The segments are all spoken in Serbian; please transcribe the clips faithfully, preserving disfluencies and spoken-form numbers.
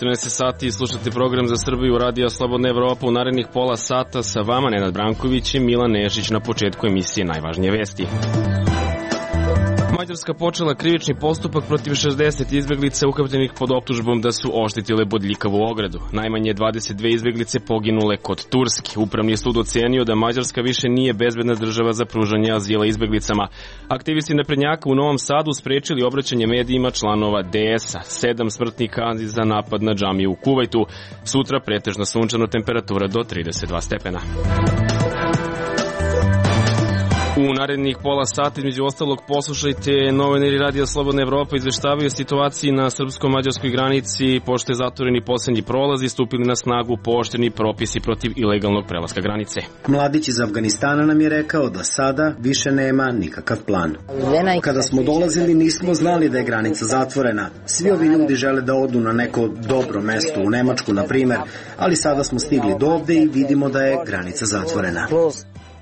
četrnaest sati slušate program za Srbiju Radio Slobodna Evropa. U narednih pola sata sa vama Nenad Branković i Milan Nešić. Na početku emisije najvažnije vesti. Mađarska počela krivični postupak protiv šezdeset izbeglica uhapšenih pod optužbom da su oštetile bodljikavu ogradu. Najmanje dvadeset dve izbeglice poginule kod Turske. Upravni sud ocenio da Mađarska više nije bezbedna država za pružanje azila izbeglicama. Aktivisti naprednjaka u Novom Sadu sprečili obraćanje medijima članova D S-a. Sedam smrtnih kazni za napad na džamiju u Kuvajtu. Sutra pretežno sunčano, temperatura do trideset dva stepena. U narednih pola sata, između ostalog, poslušajte novinari Radio Slobodna Evropa izveštavaju o situaciji na srpsko-mađarskoj granici, pošto je zatvoreni poslednji prolaz i stupili na snagu pooštreni propisi protiv ilegalnog prelaska granice. Mladić iz Afganistana nam je rekao da sada više nema nikakav plan. Kada smo dolazili nismo znali da je granica zatvorena. Svi ovi ljudi žele da odu na neko dobro mesto, u Nemačku na primer, ali sada smo stigli do ovde i vidimo da je granica zatvorena.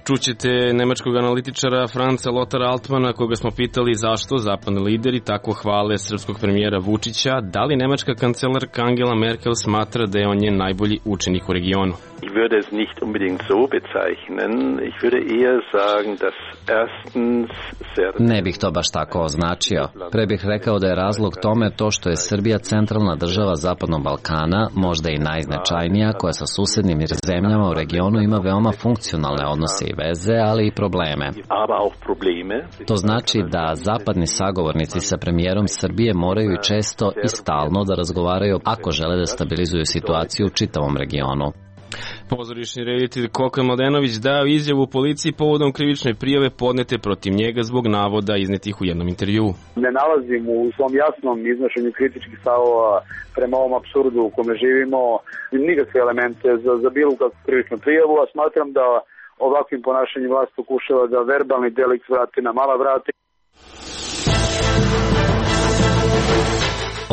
Čućete nemačkog analitičara Franca Lotara Altmana, koga smo pitali zašto zapadni lideri tako hvale srpskog premijera Vučića. Da li nemačka kancelarka Angela Merkel smatra da je on njen najbolji učenik u regionu? Ich würde es nicht unbedingt so bezeichnen. Ich würde eher sagen, dass erstens sehr... Ne bih to baš tako označio. Pre bih rekao da je razlog tome to što je Srbija centralna država Zapadnog Balkana, možda i najznačajnija, koja sa susednim zemljama u regionu ima veoma funkcionalne odnose i veze, ali i probleme. To znači da zapadni sagovornici sa premijerom Srbije moraju i često i stalno da razgovaraju ako žele da stabilizuju situaciju u čitavom regionu. Pozorišni reditelj Koka Mladenović dao izjavu policiji povodom krivične prijave podnete protiv njega zbog navoda iznetih u jednom intervjuu. Ne nalazim u svom jasnom iznošenju kritičkih stavova prema ovom apsurdu u kome živimo nikakve elemente za, za bilo kakvu krivičnu prijavu, a smatram da ovakvim ponašanjem vlast pokušava da verbalni delikt vrati na mala vrata.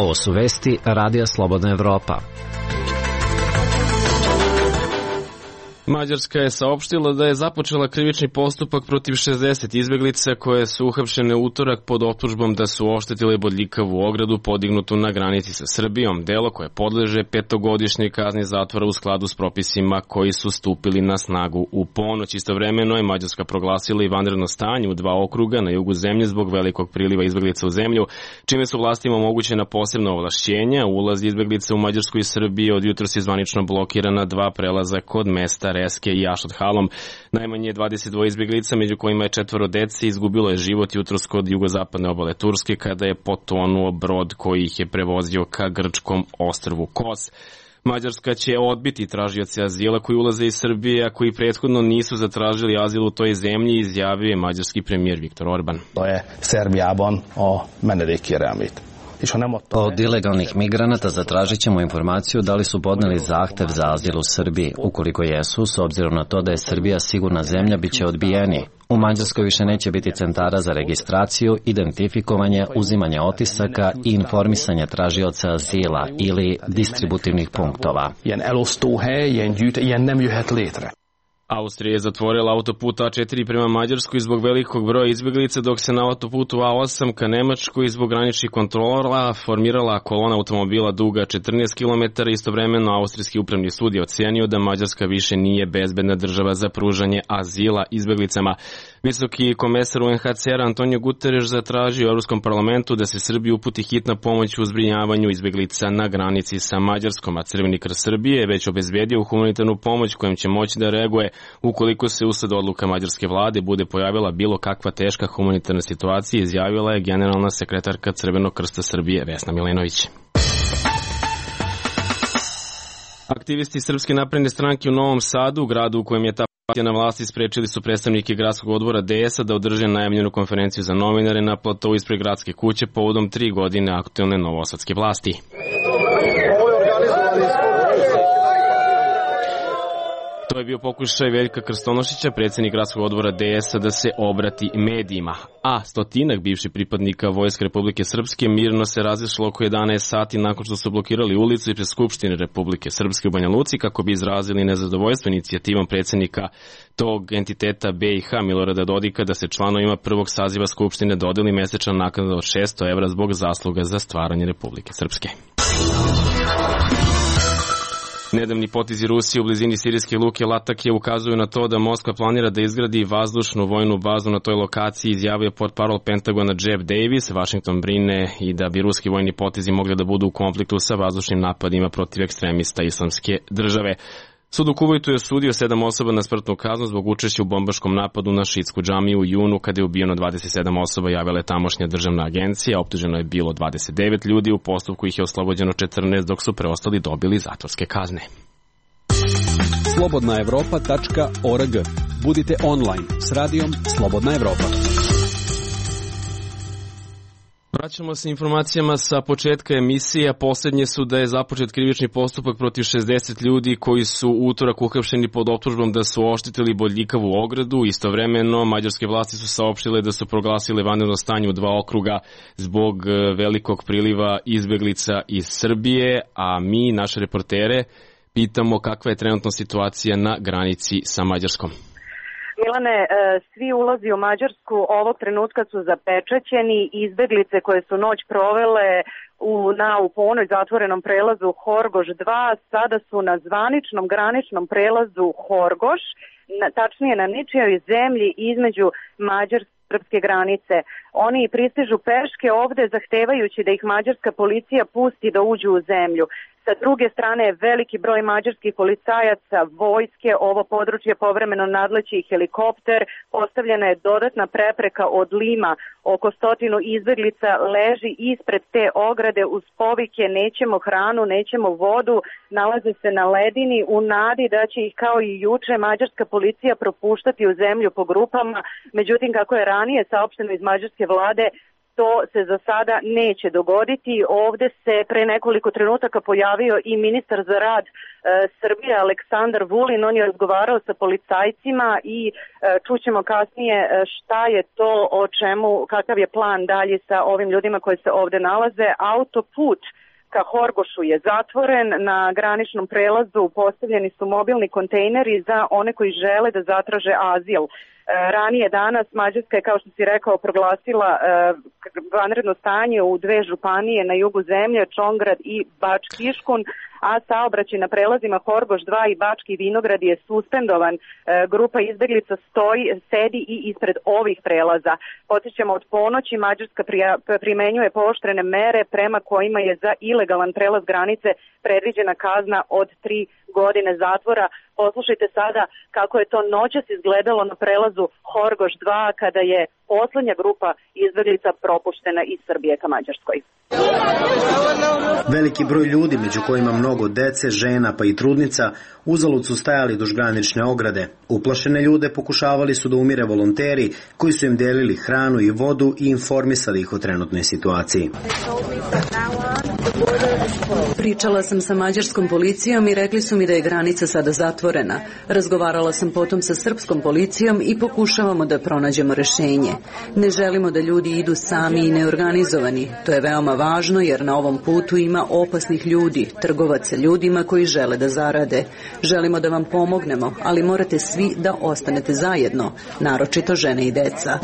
Ovo su vesti Radija Slobodna Evropa. Mađarska je saopštila da je započela krivični postupak protiv šezdeset izbeglica koje su uhapšene u utorak pod optužbom da su oštetile bodljikavu ogradu podignutu na granici sa Srbijom, delo koje podleže petogodišnjoj kazni zatvora u skladu s propisima koji su stupili na snagu u ponoć. Istovremeno je Mađarska proglasila i vanredno stanje u dva okruga na jugu zemlje zbog velikog priliva izbeglica u zemlju, čime su vlastima omogućena posebna ovlašćenja. Ulaz izbeglica u Mađarsku i Srbiji od jutros je zvanično blokirana dva prelaza kod mesta Reske i Ašot Halom. Najmanje dvadeset dva izbeglica, među kojima je četvoro dece, izgubilo je život jutros kod jugozapadne obale Turske kada je potonuo brod koji ih je prevozio ka grčkom ostrvu Kos. Mađarska će odbiti tražioce azila koji ulaze iz Srbije, a koji prethodno nisu zatražili azil u toj zemlji, izjavio je mađarski premijer Viktor Orban. To je Szerbiában a menedékkérelmét. Od ilegalnih migranata zatražit ćemo informaciju da li su podneli zahtev za azil u Srbiji. Ukoliko jesu, s obzirom na to da je Srbija sigurna zemlja, bit će odbijeni. U Mađarskoj više neće biti centara za registraciju, identifikovanje, uzimanje otisaka i informisanje tražioca azila ili distributivnih punktova. Austrija je zatvorila autoput A četiri prema Mađarskoj zbog velikog broja izbeglica, dok se na autoputu A osam ka Nemačkoj zbog graničnih kontrola formirala kolona automobila duga četrnaest kilometara. Istovremeno, austrijski upravni sud je ocenio da Mađarska više nije bezbedna država za pružanje azila izbeglicama. Visoki komesar U N H C R Antonio Guterres zatražio u Evropskom parlamentu da se Srbiji uputi hitna pomoć u zbrinjavanju izbeglica na granici sa Mađarskom, a Crveni krst Srbije je već obezbedio humanitarnu pomoć kojom će moći da reaguje ukoliko se usled odluka mađarske vlade bude pojavila bilo kakva teška humanitarna situacija, izjavila je generalna sekretarka Crvenog krsta Srbije Vesna Milenović. Aktivisti Srpske napredne stranke u Novom Sadu, u gradu u kojem je ta partija na vlasti, sprečili su predstavnike gradskog odbora D S-a da održe najavljenu konferenciju za novinare na platovu ispred gradske kuće povodom tri godine aktuelne novosadske vlasti. To je bio pokušaj Veljka Krstonošića, predsjednik gradskog odbora D S-a, da se obrati medijima. A stotinak bivših pripadnika Vojske Republike Srpske mirno se razišlo oko jedanaest sati nakon što su blokirali ulicu ispred Skupštine Republike Srpske u Banja Luci kako bi izrazili nezadovoljstvo inicijativom predsjednika tog entiteta B i H Milorada Dodika da se članovima prvog saziva Skupštine dodeli mesečna naknada od šesto evra zbog zasluga za stvaranje Republike Srpske. Nedavni potezi Rusije u blizini sirijske luke Latakije ukazuju na to da Moskva planira da izgradi vazdušnu vojnu bazu na toj lokaciji, izjavio portparol Pentagona Jeff Davis. Washington brine i da bi ruski vojni potezi mogli da budu u konfliktu sa vazdušnim napadima protiv ekstremista Islamske države. Sud u Kuvajtu je osudio sedam osoba na smrtnu kaznu zbog učešća u bombaškom napadu na šiitsku džamiju u junu kada je ubijeno dvadeset sedam osoba, javila je tamošnja državna agencija. Optuženo je bilo dvadeset devet ljudi, u postupku ih je oslobođeno četrnaest, dok su preostali dobili zatvorske kazne. slobodna evropa tačka org. Budite online s radijom Slobodna Evropa. Vraćamo se informacijama sa početka emisije. Poslednje su da je započet krivični postupak protiv šezdeset ljudi koji su u utorak uhapšeni pod optužbom da su oštetili bodljikavu ogradu. Istovremeno, mađarske vlasti su saopštile da su proglasile vanredno stanje u dva okruga zbog velikog priliva izbeglica iz Srbije, a mi, naše reportere, pitamo kakva je trenutna situacija na granici sa Mađarskom. Milane, svi ulazi u Mađarsku ovog trenutka su zapečaćeni. Izbeglice koje su noć provele u, na, u ponoj zatvorenom prelazu Horgoš dva sada su na zvaničnom graničnom prelazu Horgoš, na, tačnije na ničijoj zemlji između Mađarske i srpske granice. Oni pristižu peške ovde zahtevajući da ih mađarska policija pusti da uđu u zemlju. Sa druge strane je veliki broj mađarskih policajaca, vojske, ovo područje povremeno nadleći helikopter, postavljena je dodatna prepreka od Lima, oko stotinu izbeglica leži ispred te ograde uz povike nećemo hranu, nećemo vodu, nalaze se na ledini u nadi da će ih kao i juče mađarska policija propuštati u zemlju po grupama, međutim kako je ranije saopšteno iz mađarske vlade, to se za sada neće dogoditi. Ovde se pre nekoliko trenutaka pojavio i ministar za rad e, Srbije Aleksandar Vulin. On je razgovarao sa policajcima i e, čućemo kasnije šta je to, o čemu, kakav je plan dalje sa ovim ljudima koji se ovde nalaze. Autoput ka Horgošu je zatvoren, na graničnom prelazu postavljeni su mobilni kontejneri za one koji žele da zatraže azil. Ranije danas Mađarska je, kao što si rekao, proglasila vanredno stanje u dve županije na jugu zemlje, Čongrad i Bački-Iškun, a saobraćaj na prelazima Horgoš dva i Bački Vinograd je suspendovan. Grupa izbeglica stoji, sedi i ispred ovih prelaza. Podsjećamo, od ponoći Mađarska primenjuje pooštrene mere prema kojima je za ilegalan prelaz granice predviđena kazna od tri godine zatvora. Poslušajte sada kako je to noćas izgledalo na prelazu Horgoš dva kada je poslednja grupa izbeglica propuštena iz Srbije ka Mađarskoj. Veliki broj ljudi, među kojima mnogo dece, žena pa i trudnica, uzalud su stajali duž granične ograde. Uplašene ljude pokušavali su da umire volonteri koji su im delili hranu i vodu i informisali ih o trenutnoj situaciji. Pričala sam sa mađarskom policijom i rekli su mi da je granica sada zatvorena. Razgovarala sam potom sa srpskom policijom i pokušavamo da pronađemo rešenje. Ne želimo da ljudi idu sami i neorganizovani. To je veoma važno jer na ovom putu ima opasnih ljudi, trgovaca ljudima koji žele da zarade. Želimo da vam pomognemo, ali morate svi da ostanete zajedno, naročito žene i deca.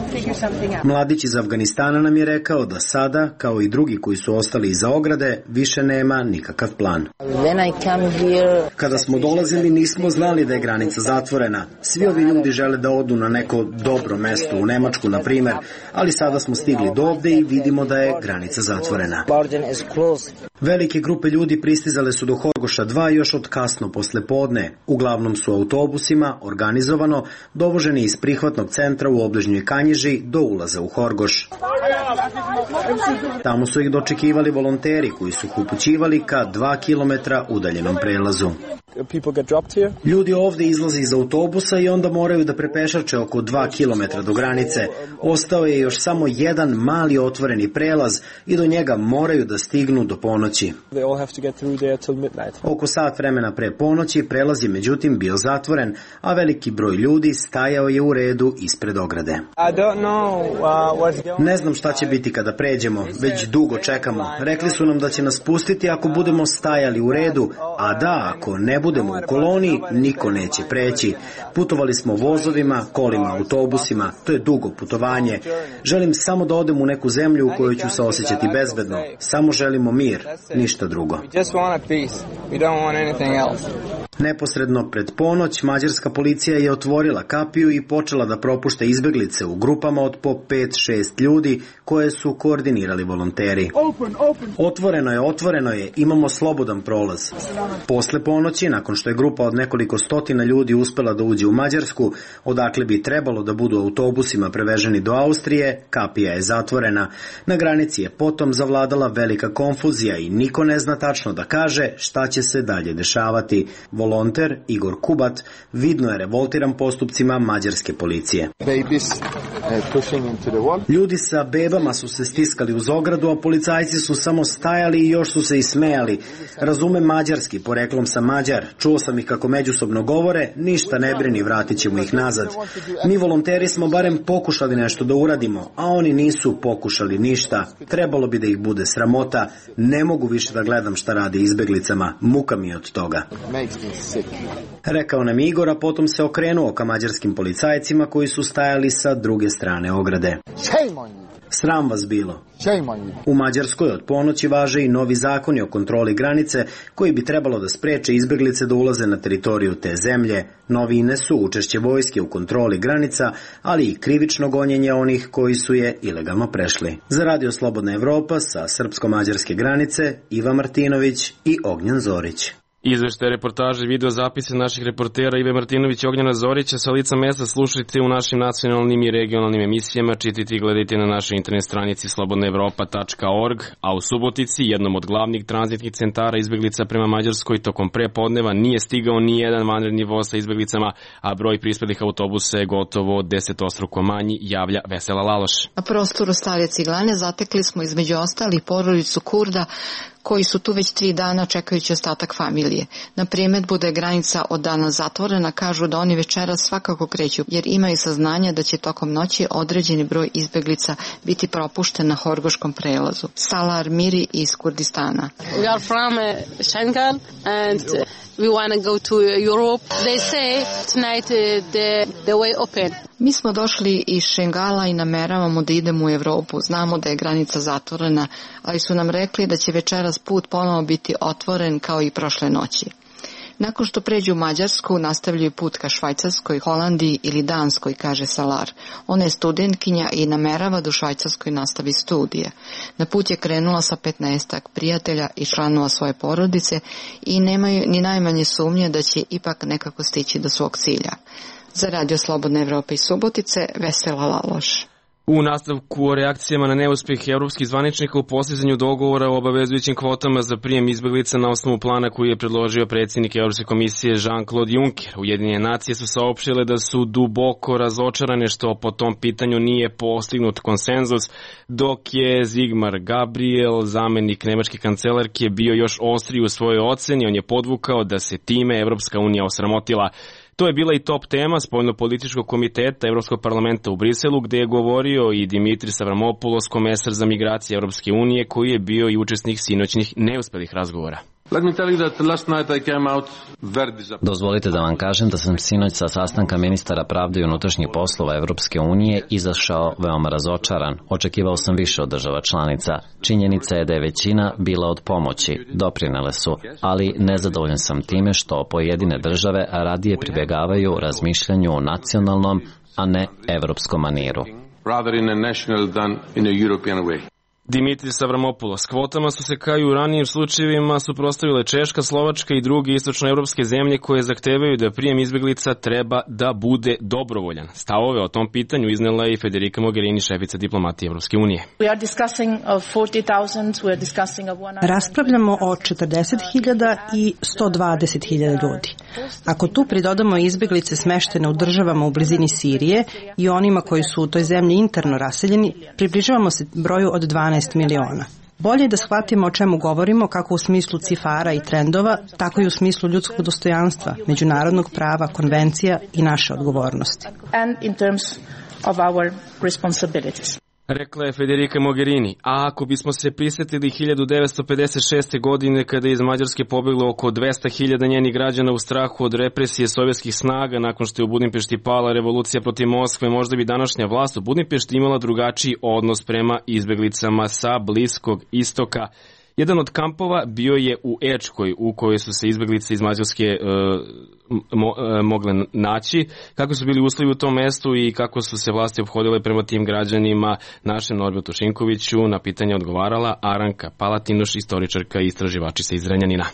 Mladić iz Afganistana nam je rekao da sada, kao i drugi koji su ostali iza ograde, više nema nikakav plan. Kada smo dolazili nismo znali da je granica zatvorena. Svi ovi ljudi žele da odu na neko dobro mesto, u Nemačku na primer, ali sada smo stigli do ovde i vidimo da je granica zatvorena. Velike grupe ljudi pristizale su do Horgoša dva još od kasno posle podne. Uglavnom su autobusima, organizovano, dovoženi iz prihvatnog centra u obližnjoj Kanjiži do ulaza u Horgoš. Tamo su ih dočekivali volonteri koji su ih upućivali ka dva kilometra udaljenom prelazu. Ljudi ovde izlaze iz autobusa i onda moraju da prepešače oko dva kilometra do granice. Ostao je još samo jedan mali otvoreni prelaz i do njega moraju da stignu do ponoći. Oko sat vremena pre ponoći prelaz je međutim bio zatvoren, a veliki broj ljudi stajao je u redu ispred ograde. Ne znam šta će biti kada pređemo, već dugo čekamo. Rekli su nam da će nas pustiti ako budemo stajali u redu, a da, ako ne budemo u koloni, niko neće preći. Putovali smo vozovima, kolima, autobusima, to je dugo putovanje. Želim samo da odem u neku zemlju u kojoj ću se osjećati bezbedno. Samo želimo mir, ništa drugo. Neposredno pred ponoć, mađarska policija je otvorila kapiju i počela da propušta izbeglice u grupama od po pet šest ljudi koje su koordinirali volonteri. Otvoreno je, otvoreno je, imamo slobodan prolaz. Posle ponoći, nakon što je grupa od nekoliko stotina ljudi uspela da uđe u Mađarsku, odakle bi trebalo da budu autobusima preveženi do Austrije, kapija je zatvorena. Na granici je potom zavladala velika konfuzija i niko ne zna tačno da kaže šta će se dalje dešavati. Volonter Igor Kubat vidno je revoltiran postupcima mađarske policije. Ljudi sa bebama su se stiskali uz ogradu, a policajci su samo stajali i još su se i smejali. Razumem mađarski, poreklom sam Mađar, čuo sam ih kako međusobno govore, ništa ne brini, vratit ćemo ih nazad. Mi volonteri smo barem pokušali nešto da uradimo, a oni nisu pokušali ništa. Trebalo bi da ih bude sramota, ne mogu više da gledam šta rade izbeglicama, muka mi je od toga. Rekao nam Igor, a potom se okrenuo ka mađarskim policajcima koji su stajali sa druge strane ograde. Sram vas bilo. U Mađarskoj od ponoći važe i novi zakoni o kontroli granice koji bi trebalo da spreče izbeglice da ulaze na teritoriju te zemlje. Novine su učešće vojske u kontroli granica, ali i krivično gonjenje onih koji su je ilegalno prešli. Za Radio Slobodna Evropa sa srpsko-mađarske granice Iva Martinović i Ognjan Zorić. Izveštaje, reportaže, video zapise naših reportera Ive Martinović i Ognjana Zorića sa lica mesta slušajte u našim nacionalnim i regionalnim emisijama, čitajte i gledajte na našoj internet stranici slobodna evropa tačka org, a u Subotici, jednom od glavnih tranzitnih centara izbeglica prema Mađarskoj, tokom prepodneva nije stigao ni jedan vanredni voz sa izbeglicama, a broj prispelih autobusa je gotovo desetostruko manji, javlja Vesela Laloš. Na prostoru Stare Ciglane zatekli smo između ostalih porodicu Kurda koji su tu već tri dana čekajući ostatak familije. Na primetbu da je granica od dana zatvorena, kažu da oni večeras svakako kreću, jer imaju saznanja da će tokom noći određeni broj izbeglica biti propušten na Horgoškom prelazu. Salar Miri iz Kurdistana. We are from Schengen and we want to go to Europe. They say tonight the, the way open. Mi smo došli iz Šengala i nameravamo da idemo u Evropu. Znamo da je granica zatvorena, ali su nam rekli da će večeras put ponovo biti otvoren kao i prošle noći. Nakon što pređu u Mađarsku, nastavljaju put ka Švajcarskoj, Holandiji ili Danskoj, kaže Salar. Ona je studentkinja i namerava da u Švajcarskoj nastavi studije. Na put je krenula sa petnaestak prijatelja i članova svoje porodice i nemaju ni najmanje sumnje da će ipak nekako stići do svog cilja. Za Radio Slobodna Evropa iz Subotice, Vesela Laloš. U nastavku o reakcijama na neuspeh evropskih zvaničnika u postizanju dogovora o obavezujućim kvotama za prijem izbeglica na osnovu plana koji je predložio predsjednik Evropske komisije Jean-Claude Juncker. Ujedinjene nacije su saopštile da su duboko razočarane što po tom pitanju nije postignut konsenzus, dok je Sigmar Gabriel, zamenik nemačke kancelarke, bio još ostriji u svojoj oceni. On je podvukao da se time Evropska unija osramotila. To je bila i top tema spoljnopolitičkog komiteta Evropskog parlamenta u Briselu, gde je govorio i Dimitris Avramopoulos, komesar za migracije Evropske unije, koji je bio i učesnik sinoćnih neuspelih razgovora. Dozvolite da vam kažem da sam sinoć sa sastanka ministara pravde i unutrašnjih poslova Evropske unije izašao veoma razočaran. Očekivao sam više od država članica. Činjenica je da je većina bila od pomoći, doprinele su, ali nezadovoljan sam time što pojedine države radije pribjegavaju razmišljanju o nacionalnom, a ne evropskom maniru. Dimitris Avramopoulos. Kvotama su se kao i u ranijim slučajevima suprotstavile Češka, Slovačka i druge istočnoevropske zemlje koje zahtevaju da prijem izbeglica treba da bude dobrovoljan. Stavove o tom pitanju iznela je i Federica Mogherini, šefica diplomatije Evropske unije. Raspravljamo o četrdeset hiljada i sto dvadeset hiljada ljudi. Ako tu pridodamo izbeglice smeštene u državama u blizini Sirije i onima koji su u toj zemlji interno raseljeni, približavamo se broju od dvanaest miliona. Bolje je da shvatimo o čemu govorimo, kako u smislu cifara i trendova, tako i u smislu ljudskog dostojanstva, međunarodnog prava, konvencija i naše odgovornosti. Rekla je Federica Mogherini, a ako bismo se prisjetili hiljadu devetsto pedeset šeste. godine kada je iz Mađarske pobeglo oko dvesta hiljada njenih građana u strahu od represije sovjetskih snaga nakon što je u Budimpešti pala revolucija protiv Moskve, možda bi današnja vlast u Budimpešti imala drugačiji odnos prema izbeglicama sa Bliskog istoka. Jedan od kampova bio je u Ečkoj, u kojoj su se izbeglice iz Mađarske e, mo, e, mogle naći. Kako su bili uslovi u tom mestu i kako su se vlasti ophodile prema tim građanima, našem Norbertu Šinkoviću na pitanje odgovarala Aranka Palatinoš, istoričarka i istraživačica iz Zrenjanina.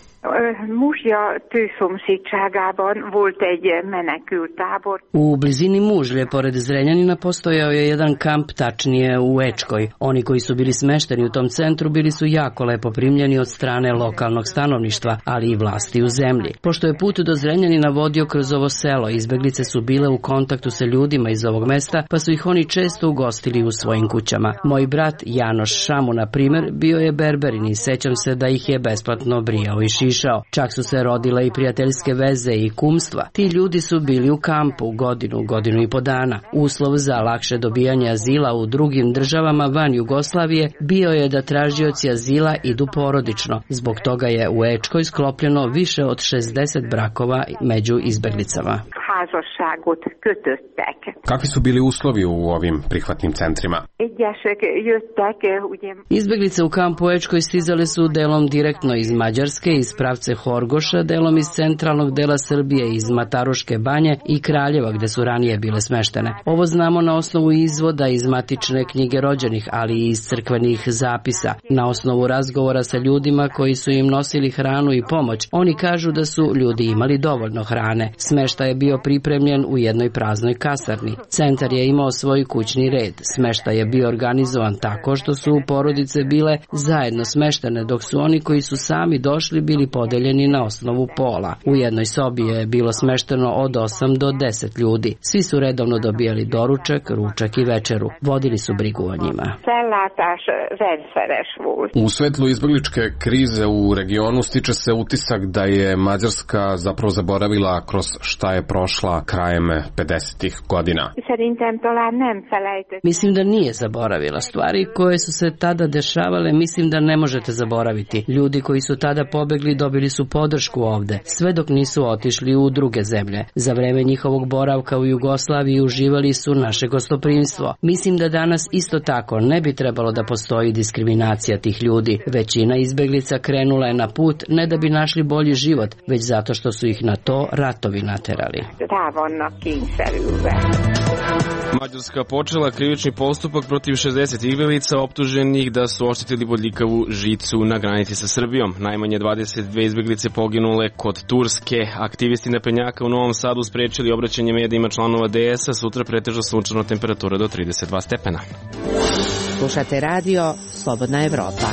Muzsja tőszomszédságában volt egy menekült tábor. U blizini Mužlje, pored Zrenjanina, postojao je jedan kamp, tačnije u Ečkoj. Oni koji su bili smešteni u tom centru bili su jako lepo primljeni od strane lokalnog stanovništva, ali i vlasti u zemlji. Pošto je put do Zrenjanina vodio kroz ovo selo, izbeglice su bile u kontaktu sa ljudima iz ovog mesta, pa su ih oni često ugostili u svojim kućama. Moj brat Janoš Šamu, na primer, bio je berberin i sećam se da ih je besplatno brijao i šišao. Čak su se rodile i prijateljske veze i kumstva. Ti ljudi su bili u kampu godinu, godinu i po dana. Uslov za lakše dobijanje azila u drugim državama van Jugoslavije bio je da tražioci azila idu porodično. Zbog toga je u Ečkoj sklopljeno više od šezdeset brakova među izbeglicama. Kakvi su bili uslovi u ovim prihvatnim centrima? Izbeglice u kampu Ečkoj stizale su delom direktno iz Mađarske, iz pravce Horgoša, delom iz centralnog dela Srbije, iz Mataruške banje i Kraljeva, gde su ranije bile smeštene. Ovo znamo na osnovu izvoda iz matične knjige rođenih, ali i iz crkvenih zapisa. Na osnovu razgovora sa ljudima koji su im nosili hranu i pomoć, oni kažu da su ljudi imali dovoljno hrane. Smeštaj je bio pripremljen u jednoj praznoj kasarni. Centar je imao svoj kućni red. Smeštaj je bio organizovan tako što su porodice bile zajedno smeštene, dok su oni koji su sami došli bili podeljeni na osnovu pola. U jednoj sobi je bilo smešteno od osam do deset ljudi. Svi su redovno dobijali doručak, ručak i večeru. Vodili su brigu o njima. U svetlu izbegličke krize u regionu stiče se utisak da je Mađarska zapravo zaboravila kroz šta je prošla krajem pedesetih godina. Mislim da nije zaboravila. Stvari koje su se tada dešavale mislim da ne možete zaboraviti. Ljudi koji su tada pobegli dobili su podršku ovde, sve dok nisu otišli u druge zemlje. Za vreme njihovog boravka u Jugoslaviji uživali su naše gostoprimstvo. Mislim da danas isto tako ne bi trebalo da postoji diskriminacija tih ljudi. Većina izbeglica krenula je na put ne da bi našli bolji život, već zato što su ih na to ratovi naterali. Mađarska počela krivični postupak protiv šezdeset izbeglica optuženih da su oštetili bodljikavu žicu na granici sa Srbijom. Najmanje dvadeset dve izbeglice poginule kod Turske. Aktivisti naprednjaka u Novom Sadu sprečili obraćanje medijima članova D S-a. Sutra pretežno sunčana temperatura do trideset dva stepena. Slušate radio Slobodna Evropa.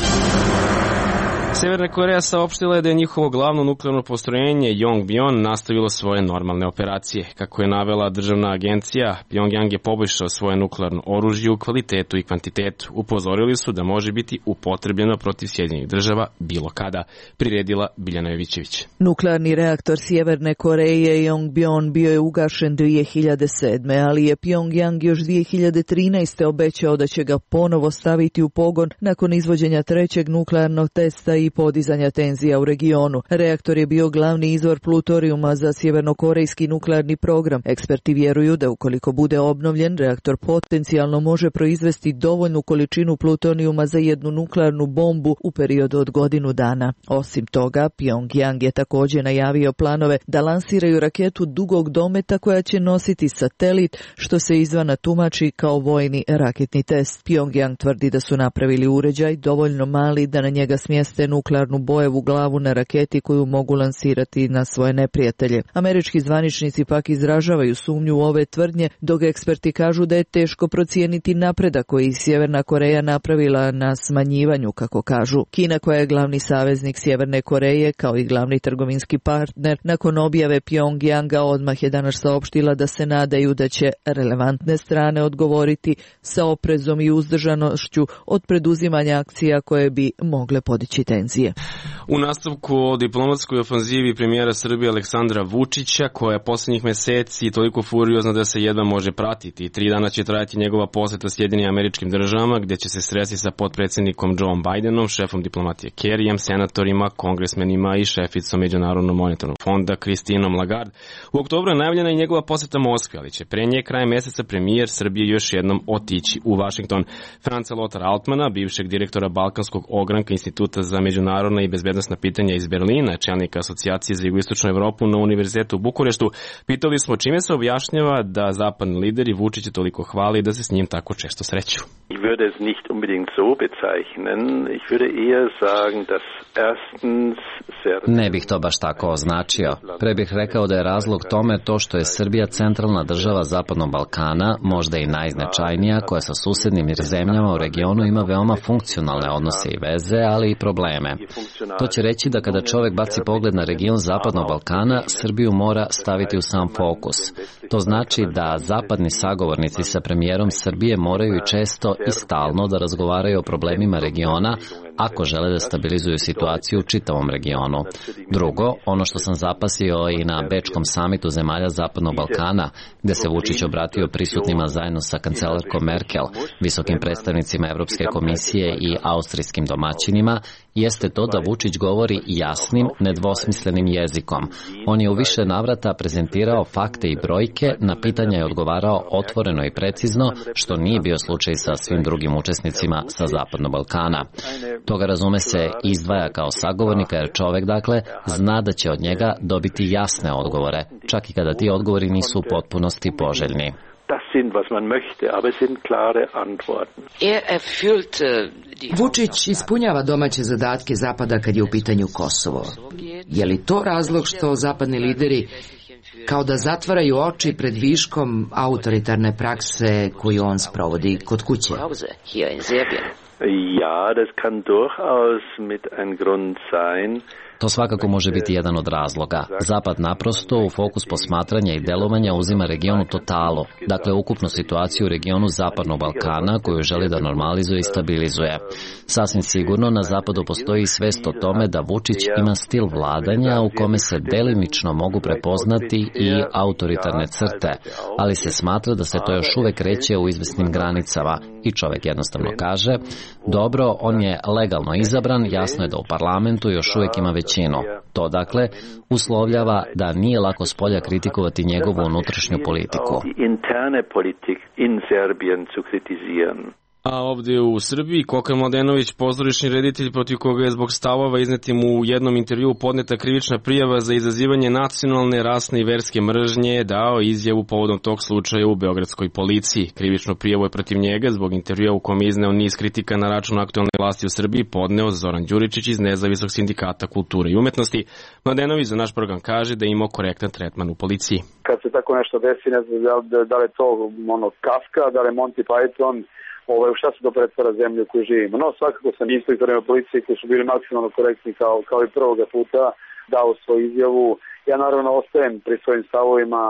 Severna Koreja saopštila je da je njihovo glavno nuklearno postrojenje Yongbyon nastavilo svoje normalne operacije. Kako je navela državna agencija, Pyongyang je poboljšao svoje nuklearno oružje u kvalitetu i kvantitetu. Upozorili su da može biti upotrebljeno protiv Sjedinjenih država bilo kada, priredila Biljana Jovićević. Nuklearni reaktor Sjeverne Koreje Yongbyon bio je ugašen dvije hiljade sedme. ali je Pyongyang još dvije hiljade trinaeste. obećao da će ga ponovo staviti u pogon nakon izvođenja trećeg nuklearnog testa i podizanja tenzija u regionu. Reaktor je bio glavni izvor plutorijuma za sjevernokorejski nuklearni program. Eksperti vjeruju da ukoliko bude obnovljen, reaktor potencijalno može proizvesti dovoljnu količinu plutonijuma za jednu nuklearnu bombu u periodu od godinu dana. Osim toga, Pyongyang je također najavio planove da lansiraju raketu dugog dometa koja će nositi satelit, što se izvana tumači kao vojni raketni test. Pyongyang tvrdi da su napravili uređaj dovoljno mali da na njega smjeste nuklearnu bojevu glavu na raketi koju mogu lansirati na svoje neprijatelje. Američki zvaničnici pak izražavaju sumnju u ove tvrdnje, dok eksperti kažu da je teško procijeniti napredak koji Sjeverna Koreja napravila na smanjivanju, kako kažu. Kina, koja je glavni saveznik Sjeverne Koreje kao i glavni trgovinski partner, nakon objave Pyongyanga odmah je danas saopštila da se nadaju da će relevantne strane odgovoriti sa oprezom i uzdržanošću od preduzimanja akcija koje bi mogle podići tenzije. tenzije. U nastavku o diplomatskoj ofanzivi premijera Srbije Aleksandra Vučića, koja je poslednjih meseci toliko furiozna da se jedva može pratiti. Tri dana će trajati njegova poseta Sjedinim Američkim Državama, gde će se sresti sa potpredsednikom Joe Bidenom, šefom diplomatije Kerryjem, senatorima, kongresmenima i šeficom Međunarodnog monetarnog fonda Kristinom Lagarde. U oktobru je najavljena i njegova poseta Moskve, ali će pre nje krajem meseca premijer Srbije još jednom otići u Vašington. Franca Lothar Altmana, bivšeg direktora Balkanskog ogranka Instituta za međunarodna i bezbednosna pitanja iz Berlina, čelnika Asocijacije za jugoistočnu Evropu na Univerzitetu u Bukureštu, pitali smo čime se objašnjava da zapadni lideri Vučića toliko hvali da se s njim tako često sreću. Ich würde es nicht unbedingt so bezeichnen. Ich würde eher sagen, dass erstens Ne bih to baš tako označio. Pre bih rekao da je razlog tome to što je Srbija centralna država Zapadnog Balkana, možda i najznačajnija, koja sa susednim zemljama u regionu ima veoma funkcionalne odnose i veze, ali i probleme. To će reći da kada čovek baci pogled na region Zapadnog Balkana, Srbiju mora staviti u sam fokus. To znači da zapadni sagovornici sa premijerom Srbije moraju i često i stalno da razgovaraju o problemima regiona ako žele da stabilizuju situaciju u čitavom regionu. Drugo, ono što sam zapasio i na Bečkom samitu zemalja Zapadnog Balkana, gde se Vučić obratio prisutnima zajedno sa kancelarkom Merkel, visokim predstavnicima Evropske komisije i austrijskim domaćinima, jeste to da Vučić govori jasnim, nedvosmislenim jezikom. On je u više navrata prezentirao fakte i brojke, na pitanja je odgovarao otvoreno i precizno, što nije bio slučaj sa svim drugim učesnicima sa Zapadnog Balkana. Toga razume se izdvaja kao sagovornika, jer čovek, dakle, zna da će od njega dobiti jasne odgovore, čak i kada ti odgovori nisu u potpunosti poželjni. Das sind, was man möchte, aber es sind klare Antworten. Vučić ispunjava domaće zadatke Zapada kad je u pitanju Kosovo. Je li to razlog što zapadni lideri kao da zatvaraju oči pred viškom autoritarne prakse koju on sprovodi kod kuće? Ja, das kann durchaus mit ein Grund sein. To svakako može biti jedan od razloga. Zapad naprosto u fokus posmatranja i delovanja uzima regionu totalu, dakle ukupnu situaciju u regionu Zapadnog Balkana koju želi da normalizuje i stabilizuje. Sasvim sigurno na Zapadu postoji svest o tome da Vučić ima stil vladanja u kome se delimično mogu prepoznati i autoritarne crte, ali se smatra da se to još uvek kreće u izvesnim granicama i čovek jednostavno kaže, dobro, on je legalno izabran, jasno je da u parlamentu još uvek ima većinu. To, dakle, uslovljava da nije lako spolja kritikovati njegovu unutrašnju politiku. A ovdje u Srbiji Koka Mladenović, pozorišni reditelj protiv koga je zbog stavova iznetim u jednom intervjuu podneta krivična prijava za izazivanje nacionalne, rasne i verske mržnje, je dao izjavu povodom tog slučaja u beogradskoj policiji. Krivičnu prijavu je protiv njega zbog intervjua u kom je izneo niz kritika na račun aktualne vlasti u Srbiji podneo Zoran Đuričić iz Nezavisnog sindikata kulture i umetnosti. Mladenović za naš program kaže da je imao korektan tretman u policiji. Kad se tako nešto desi, ne znam da, da li je to ono, Kafka, da li je Monty Python, Ovaj, šta se to pretvara zemlju u kojoj živimo. No, svakako sam inspektorima policije koji su bili maksimalno korektni kao, kao i prvoga puta dao svoju izjavu. Ja naravno ostajem pri svojim stavovima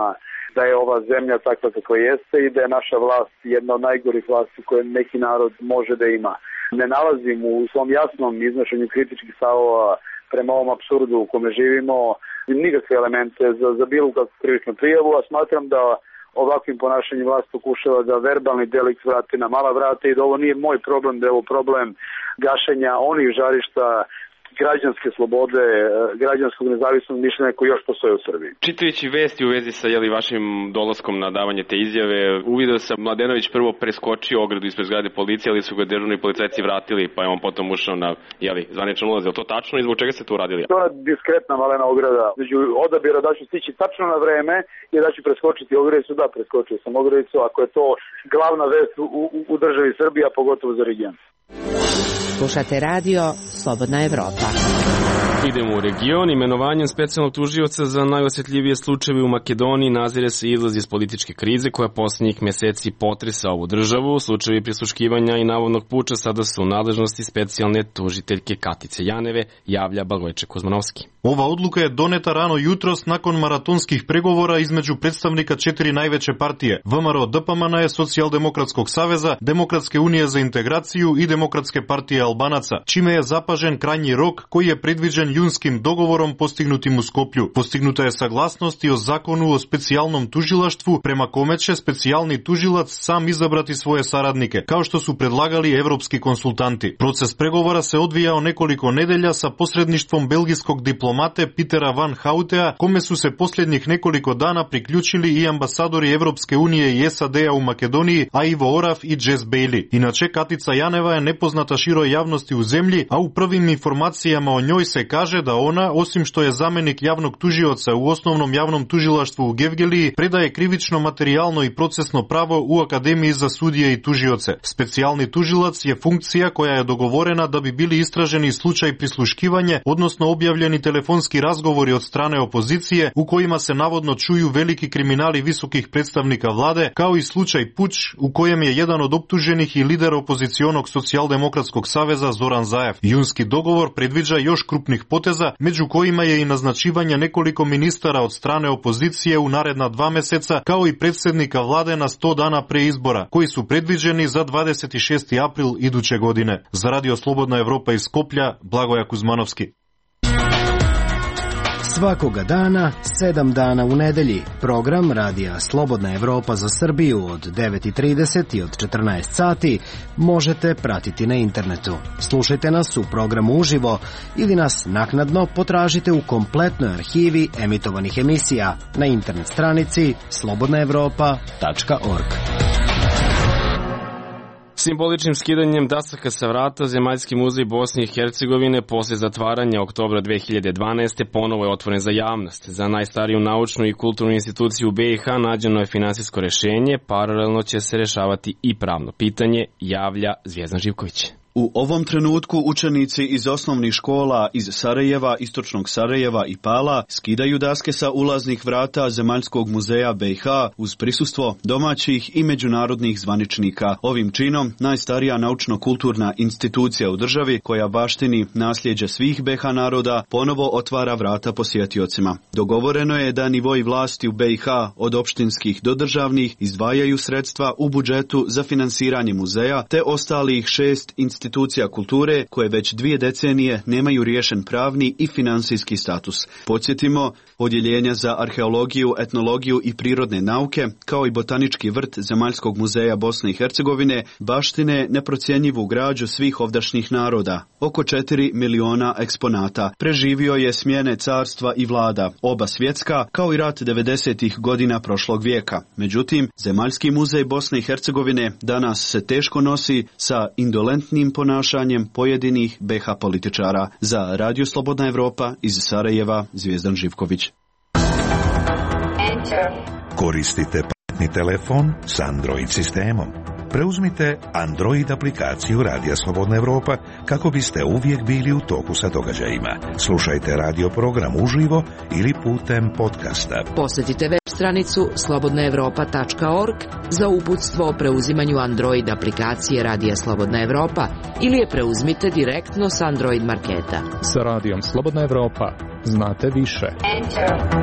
da je ova zemlja takva kakva jeste i da je naša vlast jedna od najgorih vlasti koje neki narod može da ima. Ne nalazim u svom jasnom iznošenju kritičkih stavova prema ovom apsurdu u kome živimo nikakve elemente za, za bilo kakvu krivičnu prijavu, a smatram da ovakvim ponašanjem vlast pokušava da verbalni delikt vrati na mala vrata i da ovo nije moj problem, da je ovo problem gašenja onih žarišta građanske slobode, građanskog nezavisnog mišljenja koji još postoje u Srbiji. Čitajući vesti u vezi sa jeli, vašim dolaskom na davanje te izjave, uvidio sam Mladenović prvo preskočio ogradu ispred zgrade policije, ali su ga dežurni policajci vratili, pa je on potom ušao na jeli, zvaničan ulaz. Je li to tačno i zbog čega ste to uradili? To je diskretna malena ograda. Među odabira da ću stići tačno na vreme i da ću preskočiti ogradicu, da preskočio sam ogradicu, ako je to glavna vest u, u, u državi Srbije, a pogotovo za region. Slušate radio Slobodna Evropa. Idemo u region. Imenovanjem specijalnog tužioca za najosjetljivije slučajeve u Makedoniji nazire se izlaz iz političke krize koja posljednjih meseci potresa ovu državu. Slučajevi prisluškivanja i navodnog puča sada su u nadležnosti specijalne tužiteljke Katice Janeve, javlja Blagoje Kuzmanovski. Ova odluka je doneta rano jutros nakon maratonskih pregovora između predstavnika četiri najveće partije V M R O D P M N, Socijaldemokratskog saveza, Demokratske unije za integraciju i Demokratske partije Albanaca, čime je zapažen krajnji rok koji je predviđen junskim dogovorom postignutim u Skoplju. Postignuta je saglasnost i o zakonu o specijalnom tužilaštvu prema kome će specijalni tužilac sam izabrati svoje saradnike, kao što su predlagali evropski konsultanti. Proces pregovora se odvijao nekoliko nedelja sa posredništvom belgijskog diplomate Petera Van Houtea, kome su se posljednjih nekoliko dana priključili i ambasadori Evropske unije i S A D-a u Makedoniji, a Ivo Oraf i Jess Bailey. Inače, Katica Janeva je nepoznata široj javnosti u zemlji, a u prvim informacijama o njoj se kaže da ona, osim što je zamenik javnog tužioca u osnovnom javnom tužilaštvu u Gevgeliji, predaje krivično, materijalno i procesno pravo u Akademiji za sudije i tužioce. Specijalni tužilac je funkcija koja je dogovorena da bi bili istraženi slučaj prisluškivanje, odnosno objavljeni telefonski razgovori od strane opozicije u kojima se navodno čuju veliki kriminali visokih predstavnika vlade, kao i slučaj puč u kojem je jedan od optuženih i lider opozicionog Socijaldemokratskog saveza Zoran Zaev. Junski dogovor predviđa još krupnih poteza, među kojima je i naznačivanje nekoliko ministara od strane opozicije u naredna dva meseca, kao i predsjednika vlade na sto dana pre izbora, koji su predviđeni za dvadeset šesti april iduće godine. Za Radio Slobodna Evropa iz Skoplja, Blagoja Kuzmanovski. Svakoga dana, sedam dana u nedelji, program Radija Slobodna Evropa za Srbiju od devet i trideset i od četrnaest sati možete pratiti na internetu. Slušajte nas u programu uživo ili nas naknadno potražite u kompletnoj arhivi emitovanih emisija na internet stranici slobodna evropa tačka org. Simboličnim skidanjem dasaka sa vrata Zemaljski muzej Bosne i Hercegovine posle zatvaranja oktobra dve hiljade dvanaeste. ponovo je otvoren za javnost. Za najstariju naučnu i kulturnu instituciju u B i H nađeno je finansijsko rešenje, paralelno će se rešavati i pravno pitanje, javlja Zvijezdan Živković. U ovom trenutku učenici iz osnovnih škola iz Sarajeva, Istočnog Sarajeva i Pala skidaju daske sa ulaznih vrata Zemaljskog muzeja B i H uz prisustvo domaćih i međunarodnih zvaničnika. Ovim činom najstarija naučno-kulturna institucija u državi koja baštini nasljeđe svih B i H naroda ponovo otvara vrata posjetiocima. Dogovoreno je da nivoi vlasti u B i H od opštinskih do državnih izdvajaju sredstva u budžetu za finansiranje muzeja te ostalih šest institucija institucija kulture koje već dvije decenije nemaju riješen pravni i finansijski status. Podsjetimo, odjeljenja za arheologiju, etnologiju i prirodne nauke, kao i botanički vrt Zemaljskog muzeja Bosne i Hercegovine, baštine neprocjenjivu građu svih ovdašnjih naroda. Oko četiri miliona eksponata. Preživio je smjene carstva i vlada, oba svjetska, kao i rat devedesetih godina prošlog vijeka. Međutim, Zemaljski muzej Bosne i Hercegovine danas se teško nosi sa indolentnim ponašanjem pojedinih B i H političara. Za Radio Slobodna Evropa iz Sarajeva, Zvijezdan Živković. Koristite pametni telefon s Android sistemom. Preuzmite Android aplikaciju Radija Slobodna Evropa kako biste uvijek bili u toku sa događajima. Slušajte radio program uživo ili putem podcasta. Posjetite web stranicu slobodna evropa tačka org za uputstvo o preuzimanju Android aplikacije Radija Slobodna Evropa ili je preuzmite direktno s Android marketa. Sa Radijom Slobodna Evropa znate više. Enter.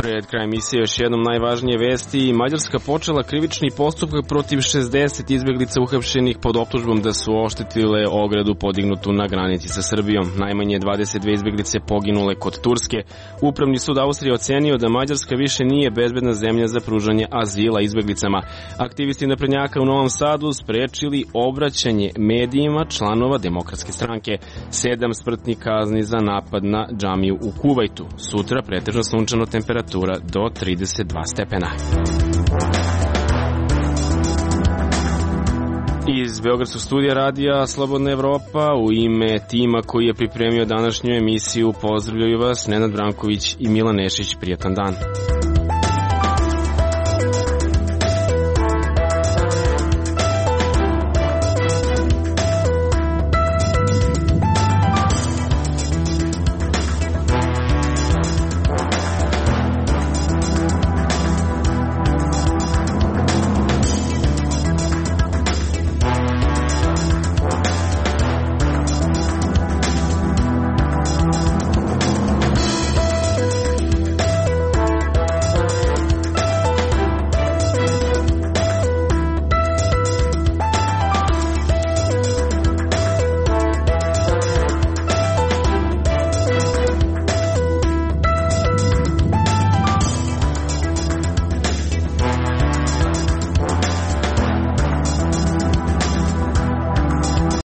Pred kraj emisije još jednom najvažnije vesti. Mađarska počela krivični postupak protiv šezdeset izbjeglica uhapšenih pod optužbom da su oštetile ogradu podignutu na granici sa Srbijom. Najmanje dvadeset dve izbjeglice poginule kod Turske. Upravni sud Austrije ocenio da Mađarska više nije bezbedna zemlja za pružanje azila izbjeglicama. Aktivisti naprednjaka u Novom Sadu sprečili obraćanje medijima članova Demokratske stranke. Sedam smrtnih kazni za napad na džamiju u Kuvajtu. Sutra pretežno sunčano, temperatura do trideset dva stepena. Iz Beogradskog studija Radija Slobodna Evropa u ime tima koji je pripremio današnju emisiju pozdravljaju vas Nenad Branković i Milan Nešić. Prijatan dan.